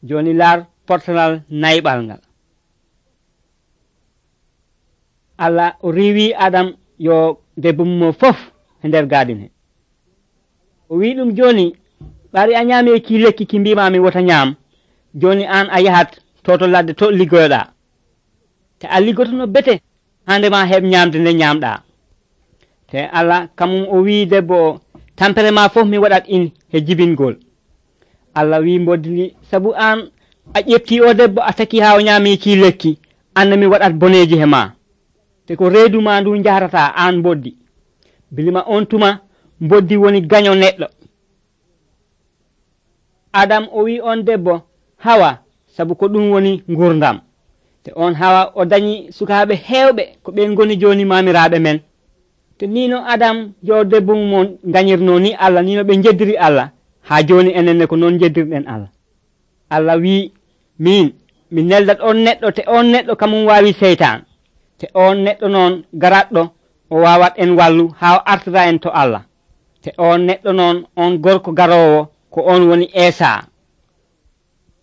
joni laar portalal nayɓal ngal. Allah o riiwi Adam yo debbo mum fof e nder gadin he. O wi ɗum joni ɓari a ñaami ki lekki ki mbimami wota ñaam, joni an a yahat to ladde to liggoyoɗa, te a liggotono bete handema heɓ ñamde nde ñamɗa. te Allah kamum o wi debbo o tampere ma fof mi waɗat in he jibingol. Allah wi mboddi sabu an a ƴefti o debbo a taki ha o ñaami ki lekki, anne mi waɗat boneji he ma, te ko reedu ma ndu jarata an mboddi. bilima on tuma mboddi woni gaño neɗɗo. Adam o wi on debbo Hawa sabu ko ɗum woni gurdam, te on Hawa o dañi sukaɓe hewɓe ko ɓen goni joni mamiraɓe men. te nino Adam yo debbo mum gañirno ni Allah, nino ɓe jeddiri Allah, ha joni enenne ko noon jeddirɗen Allah. Allah wi min mi neldat on neɗɗo, te on neɗɗo kamum wawi seytan, te on neɗɗo noon garatɗo o wawat en wallu ha o artira en to Allah. te on neɗɗo noon on gorko garowo ko on woni Esa.